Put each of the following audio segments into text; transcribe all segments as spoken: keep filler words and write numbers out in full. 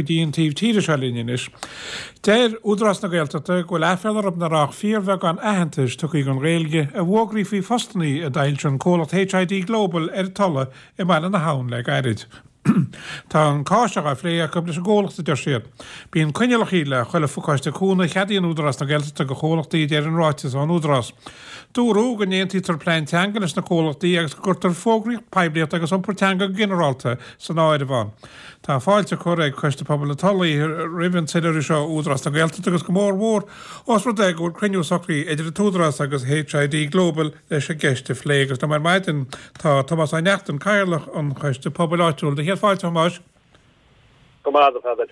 go dtí an taobh tíre seo linn anois. Deir Údarás na Gaeltachta go bhfuil aiféala orthu nach raibh ach fíorbheagán aitheantais tugtha don Ghaeilge i bhfógraí faoi phostannaí a d'fhoilsigh an comhlacht HID Global ar an Tulaigh i mBaile na hAbhann le gairid. Tá an cás seo á phlé acu leis an gcomhlacht, a deir siad. Bíonn coinníollacha le chuile phacáiste cúnamh a cheadaíonn Údarás na Gaeltachta do chomhlachtaí, a deir an ráiteas ón Údarás. Dúradh go n-aontaítear plean teanga leis na comhlachtaí agus go gcuirtear fógraíocht, poiblíocht agus iompar teanga go ginearálta san áireamh ann. Tá fáilte curtha ag Coiste Pobail na Tulaí roimh an tsoiléiriú seo ó Údarás na Gaeltachta agus go mór mhór ós rud é go bhfuil cruinniú socraithe idir an tÚdarás agus HID Global leis an gceist a phlé agus liom ar maidin tá Tomás Ó Neachtain, Cathaoirleach an Choiste Pobail Áitiúil. Do chéad fáilte, a Thomáis. Go maith, a Pheadair.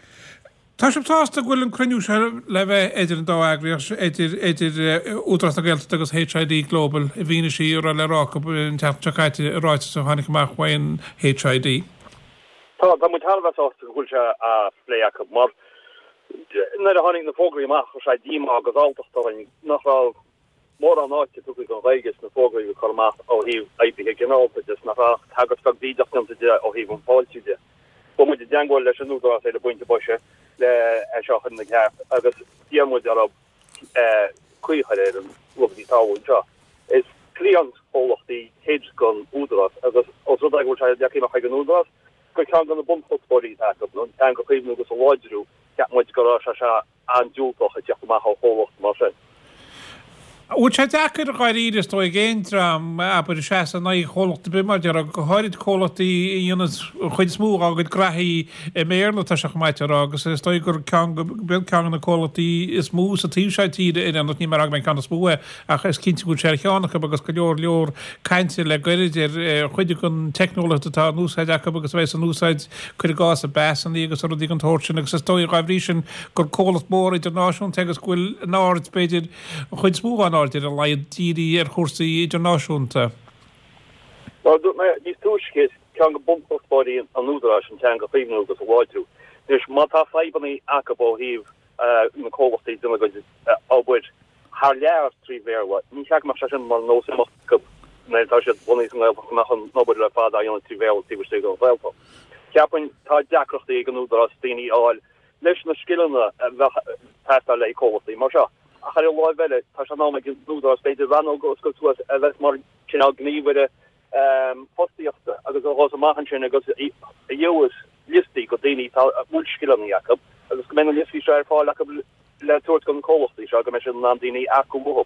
Tá sibh sásta go bhfuil an cruinniú seo le bheith idir an dá eagraíocht, idir idir Údarás na Gaeltachta agus HID Global, i bhfianaise a raibh le rá acu an tseachtain seo caite i ráiteas a tháinig amach uaidh HID. Tá, tá muid thar a bheith sásta go bhfuil sé á phlé acu mar nuair a tháinig na fógraí amach chuir sé díomá agus alltacht orainn nach raibh mórán áite tugtha don Ghaeilge sna fógraí a bhí curtha amach ó thaobh oibrithe ginearálta de, nach raibh ach tagairt bheag bhídeach déanta de ó thaobh an fáiltiú de. Chuaigh muid i dteangmháil leis an Údarás ar an bpointe boise le é seo a chur ina cheart agus d'iarr muid orthu caoi a chur ar an rud a bhí ag tarlú anseo. Is cliantchomhlacht é HID don Údarás agus os rud é go bhfuil sé leagtha amach ag an Údarás gur ceann de na bunchuspóirí atá acu ná an teanga a chaomhnú agus a láidriú, cheap muid go raibh sé seo an-diúltach ag teacht amach ó chomhlacht mar sin. Bhfuil sé deacair dháiríre is dóigh ag aon dream, abair, seasamh in aghaidh chomhlacht ar bith mar déarfá, go háirid comhlachtaí a dhéanas an chuid is mó dá gcuid graithí i mBéarla, tá sé chomh maith a rá, agus is dóigh gur ceann, ceann de na comhlachtaí is mó sa taobh seo tíre ar aon nós, níl mé ag rá go mbeidh an ceann is mó é, ach is cinnte go bhfuil sé ar cheann acu agus go leor leor cainte le goirid ar chuid den teicneolaíocht atá in úsáid acu agus a bheas in úsáid, cuir i gcás, i bpasanna agus rudaí den tsórt sin agus is dóigh dá bhrí sin gur comhlacht mór idirnáisiúnta é agus go bhfuil an aird, b'fhéidir, an chuid is mó den aird ar a laghad dírithe ar chúrsaí idirnáisiúnta. Mar a dúirt mé níos túisce, is ceann de bhunchuspóirí an Údaráis an teanga a chaomhnú agus a láidriú. Anois, má tá fadhbanna acu ó thaobh na comhlachtaí ag déanamh a gcuid obair thar lear trí Bhéarla, ní cheart go mbeadh sé sin mar nós imeachta acu nuair atá siad bunaithe sa nGaeltacht, go mbeadh an obair ar fad á dhéanamh trí Bhéarla taobh istigh den Ghaeltacht. Cheapfainn, tá deacrachtaí ag an Údarás daoine a fháil leis na scileanna a bheadh ag teastáil le haghaidh comhlachtaí mar seo. Ach ar an láimh eile, tá sé in am ag an Údarás b'fhéidir rannóg a oscailt suas a bheas mar chineál gníomhaire fostaíochta agus a ghabhfas amach ansin agus a gheobhas liostaí de daoine atá a bhfuil scileanna acu agus go mbeidh na liostaí seo ar fáil acu le tabhairt do na comhlachtaí seo go mbeidh siad in ann daoine a earcú uathu.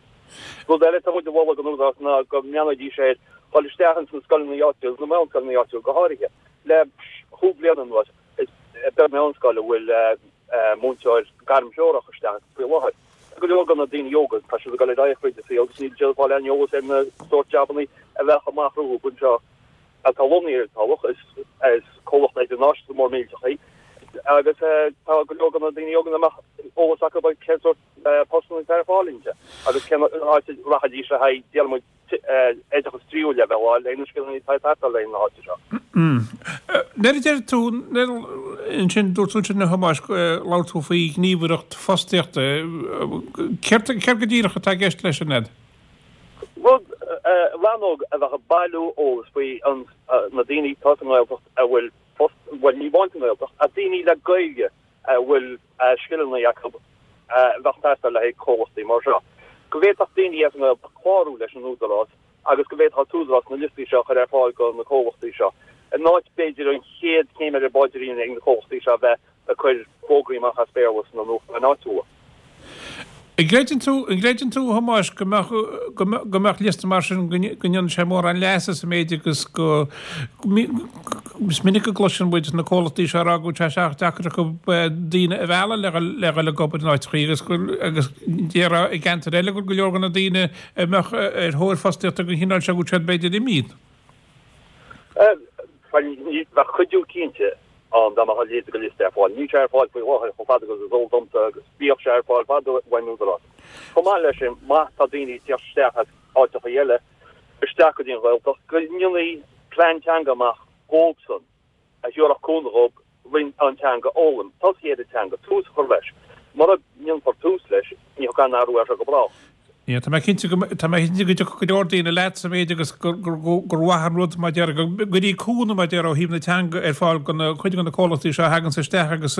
Rud eile atá muid a mholadh don Údarás ná go mbreathnóidís ar dhul isteach ins na scoileanna áitiúla, na meánscoileanna áitiúla go háirithe. Le chúig bliana anuas, is beag meánscoil a bhfuil múinteoir gairmthreorach isteach faoi láthair. Go leor de na daoine óga, tá siad ag dul ar aghaidh fríd an saol agus níl siad ag fáil aon eolas ar na sórt jabannaí a bheadh amach rompu anseo atá lonnaithe ar an Tulach. Is comhlacht idirnáisiúnta mór millteach é agus tá go leor de na daoine óga nach mbeadh eolas acu ar cén sórt postanna atá ar fáil inti agus cén áit a rachaidís le haghaidh, déarfaidh muid, oideachas tríú leibhéal a fháil le na scileanna atá ag teastáil le na háite seo. Nuair a deir tú, ansin, dúirt tú ansin a Thomáis, labhair tú faoi ghníomhaireacht fostaíochta, céard céard go díreach atá i gceist leis sin, Ned? Rud, rannóg a bheadh ag bailiú eolas faoi na daoine atá sa nGaeltacht a bhfuil post, bhuel ní amháin sa nGaeltacht, ach daoine le Gaeilge a bhfuil scileanna acu a bheadh ag teastáil le haghaidh comhlachtaí mar seo. Go bhféadfadh daoine as an nGaeltacht clárú leis an Údarás agus go bhféadfadh an tÚdarás na liostaí seo a chur ar fáil do na comhlachtaí seo. In áit, b'fhéidir, an chéad chéim ar an bpaidrín ag na comhlachtaí seo a bheith ag cur fógraí amach as Béarla sna nuachtáin áitiúla. An gcreideann tú, an gcreideann tú, a Thomáis, go mbeadh, go mbeadh, go mbeadh liosta mar sin, go ndéanann sé mórán leasa sa méid agus go, is minic a gcloiseann muid na comhlachtaí seo ag rá go bhfuil sé sách deacair acu daoine a mhealladh le dhul, le dhul ag obair in áiteachaí agus go, agus déarfá i gceantair eile go bhfuil go leor de na daoine a mbeadh ar thóir fostaíochta den chineál seo go bhfuil siad b'fhéidir imithe. Bheadh cuidiú cinnte ann dá mbeadh a leithéid de liosta ar fáil. Níl sé ar fáil faoi láthair chomh fada agus is eol domsa agus bhíodh sé ar fáil fadó ón Údarás. Chomh maith leis sin, má tá daoine ag teacht isteach as áiteacha eile isteach go dtí an Ghaeltacht, go ndéanfaí plean teanga amach dhóibhsan a thabharfadh cúnamh dhóibh roinnt an teanga a fhoghlaim, tosaí ar an teanga, tús a chur leis. Mura ndéanfar tús leis, ní thiocfaidh aon athrú air seo go brách. Yeah, tá mé cinnte go tá mé cinnte go dtiocfadh go leor daoine leat sa méid agus gur gur gur mhaith an rud mar deir go gcuirfí cúnamh mar deir ó thaobh na teanga ar fáil go na cuid de na comhlachtaí seo a thaganns isteach agus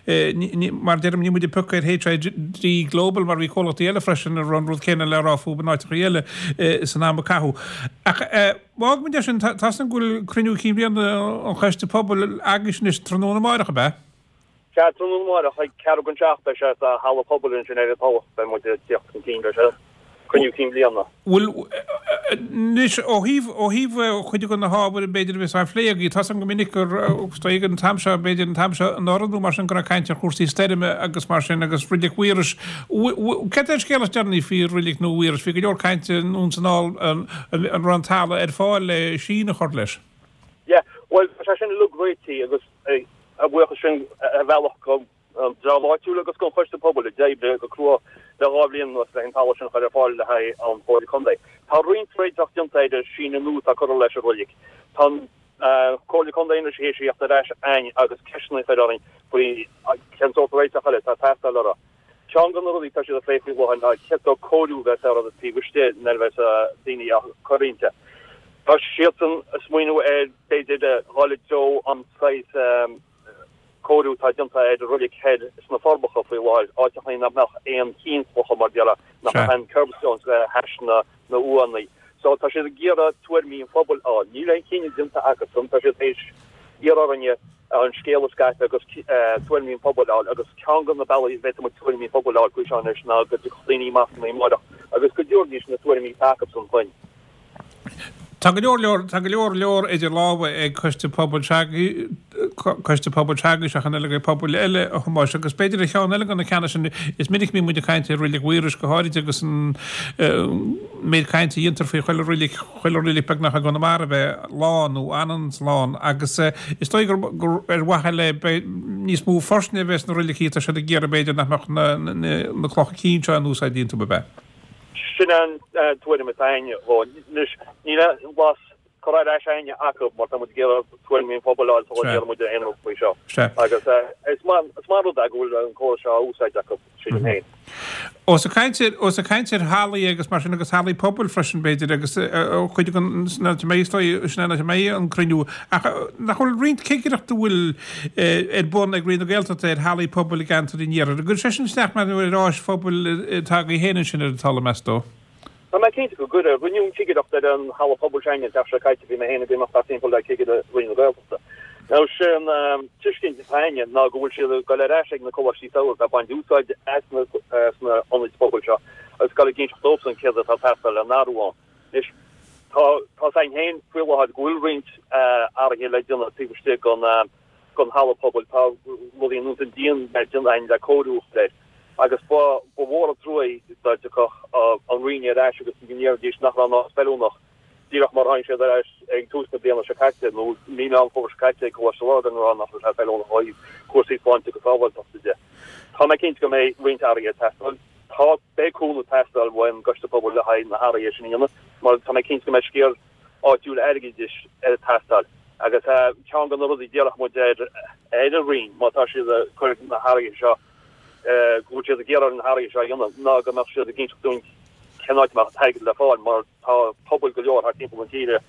eh, mar deirim ní muid ag piocadh ar HID Global mar bhí comhlachtaí eile freisin a raibh an rud céanna le rá fúthu in áiteacha eile eh, san am a caitheadh. Ach eh, má fhágfaimid é sin tá tá go bhfuil cruinniú cinn bhliana an Choiste Pobail agaibh anois tráthnóna amárach ab ea? Sea, tráthnóna amárach ag ceathrú don seacht beidh sé sa halla pobail ansin ar an Tulach beidh muid ag teacht chun cinn leis an cruinniú cinn bhliana. Bhuel, anois ó thaobh ó thaobh chuid de na hábhair b'fhéidir a bheas á phlé agaibh, tá a fhios agam go minic gur ag an t-am seo b'fhéidir an t-am seo anuraidh nó mar sin go raibh caint ar chúrsaí stoirme agus mar sin agus Reilig Mhaorais. Cad é an scéal is deireanaí faoi Reilig nua Mhaorais? Bhí go leor cainte anonn is anall an raibh an talamh ar fáil le síneadh a chur leis. Yeah, bhuel tá sé sin uilig réitithe agus A bhuíochas sin ar bhealach don dream áitiúil agus don Choiste Pobail a d'oibrigh go crua le dhá bhliain anuas le an talamh sin a chur ar fáil le haghaidh an Chomhairle Contae. Tá roinnt réiteach déanta ar an síneadh nua atá curtha leis an reilig. Tá an Comhairle Contae anois théis a theacht ar ais chugainn agus ceisteanna a chur orainn faoi cén sórt réiteach eile atá ag teastáil orthu. Ceann de na rudaí atá siad ag plé faoi láthair ná cén sórt cóiriú a bheas ar an taobh istigh nuair a bheas daoine á cur inti. Tá siadsan ag smaoineamh ar b'fhéidir dhul i dtreo an saghas cóiriú atá déanta ar an reilig thoir sna Forbacha faoi láthair, áiteachaí nach mbeadh aon chinn clocha mar déarfá, nach mbeadh aon kerbstones le hais na n-uaigheanna. So tá siad ag iarraidh tuairimí an phobail a fháil. Níl aon chinneadh déanta acusan, tá siad théis iarraidh orainne an scéal a scaipeadh agus tuairimí an phobail a fháil agus ceann de na bealaí a bhféadfaidh muid tuairimí an phobail a fháil faoi seo anois ná go dtiocfadh daoine amach amárach agus go dtabharfaidís na tuairimí atá acusan chugainn. Tá go leor leor tá go leor leor idir lámha ag Coiste Pobail Coiste Pobail Teagaisc ach an eile ag pobail eile a Thomáis agus b'fhéidir ar cheann eile de na ceanna sin is minic a bhíonn muid ag caint ar Reilig Mhaorais go háirid agus an méid cainte a dhéantar faoi chuile reilig chuile reilig beagnach i gConamara a bheith lán nó an-lán agus is dóigh gur gur ar mhaithe le níos mó foirne a bheith sna reiligí atá siad ag iarraidh b'fhéidir nach mbeadh na na clocha cinn seo in úsáid iontu ab ea? Sin an tuairim atá againne. Anois, níl aon bhlas curtha ar ais againne acu mar tá muid ag iarraidh tuairimí an phobail a fháil sula ndéanann muid aon rud faoi seo. Agus is maith an rud é go bhfuil an córas seo á úsáid acu, sílim féin. Ós ag caint ar, ós ag caint ar hallaí agus mar sin agus hallaí pobail freisin b'fhéidir agus cuid den, sin an áit a mbeidh, is dóigh, sin an áit a mbeidh an cruinniú. Ach nach bhfuil roinnt cigireachta a bhfuil ar bun ag Roinn na Gaeltachta ar hallaí pobail i gceantar an iarthair. An gcuirfidh sé sin isteach mar ar áis phobail atá agaibh féin ansin ar an Tulaigh, meas tú? Tá mé cinnte go gcuirfidh. Rinneadh an chigireacht ar an halla pobail s'againne an tseachtain seo caite, bhí mé féin ag imeacht thart timpeall le cigire Roinn na Gaeltachta. Now sé an tuiscint atá againne ná go bhfuil siad ag dul ar ais ag na coláistí samhraidh atá ag baint úsáid as na sna ionaid pobail seo agus ag dul ag inseacht dóibhsan céard atá ag teastáil le n-athrú ann. Anois tá tá a fhios againn féin faoi láthair go bhfuil roinnt athruithe le déanamh taobh istigh den den halla pobail. Tá rudaí ar nós an díon le déanamh againn le cóiriú a chur air agus ba ba mhór an trua é dá dtiocfadh an Roinn ar ais agus go ndéarfaidís nach raibh an áit feiliúnach díreach mar tháinig siad ar ais ag tús na bliana seo caite nó mí Meán Fómhair seo caite ag Coláiste Lurgan ag rá nach raibh sé feiliúnach ó thaobh cúrsaí sláinte agus sábháilteachta de. Tá mé cinnte go mbeidh roinnt athruithe ag teastáil. Tá beidh cúnamh ag teastáil ón gCoiste Pobail le haghaidh na hathruithe sin a dhéanamh mar tá mé cinnte go mbeidh sciar áitiúil airgeadais ag teastáil agus ceann de na rudaí a d'iarrfadh muid ar ar an Roinn má tá siad ag cur na hathruithe seo go bhfuil siad ag iarraidh na hathruithe seo a dhéanamh ná go mbeadh siad ag inseacht dúinn cén áit a mbeadh an t-airgead le fáil mar tá pobail go leor thart timpeall na tíre a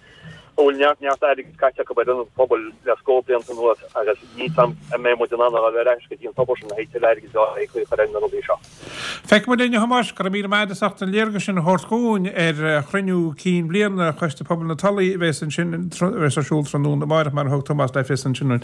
bhfuil neart neart airgid caite acu ar ionaid phobail le scór blianta anuas agus níl 's a'm an mbeidh muid in ann a dhul ar ais go dtí an tobar sin le haghaidh tuilleadh airgid a chur ar na rudaí seo. Feicfidh muid linn, a Thomáis, go raibh míle maith agat as ucht an léargas sin a thabhairt dhúinn ar chruinniú cinn bliana Choiste Pobail na Tulaí a bheas ansin, a bheas ar siúl tráthnóna amárach mar a thug Tomás le fios ansin.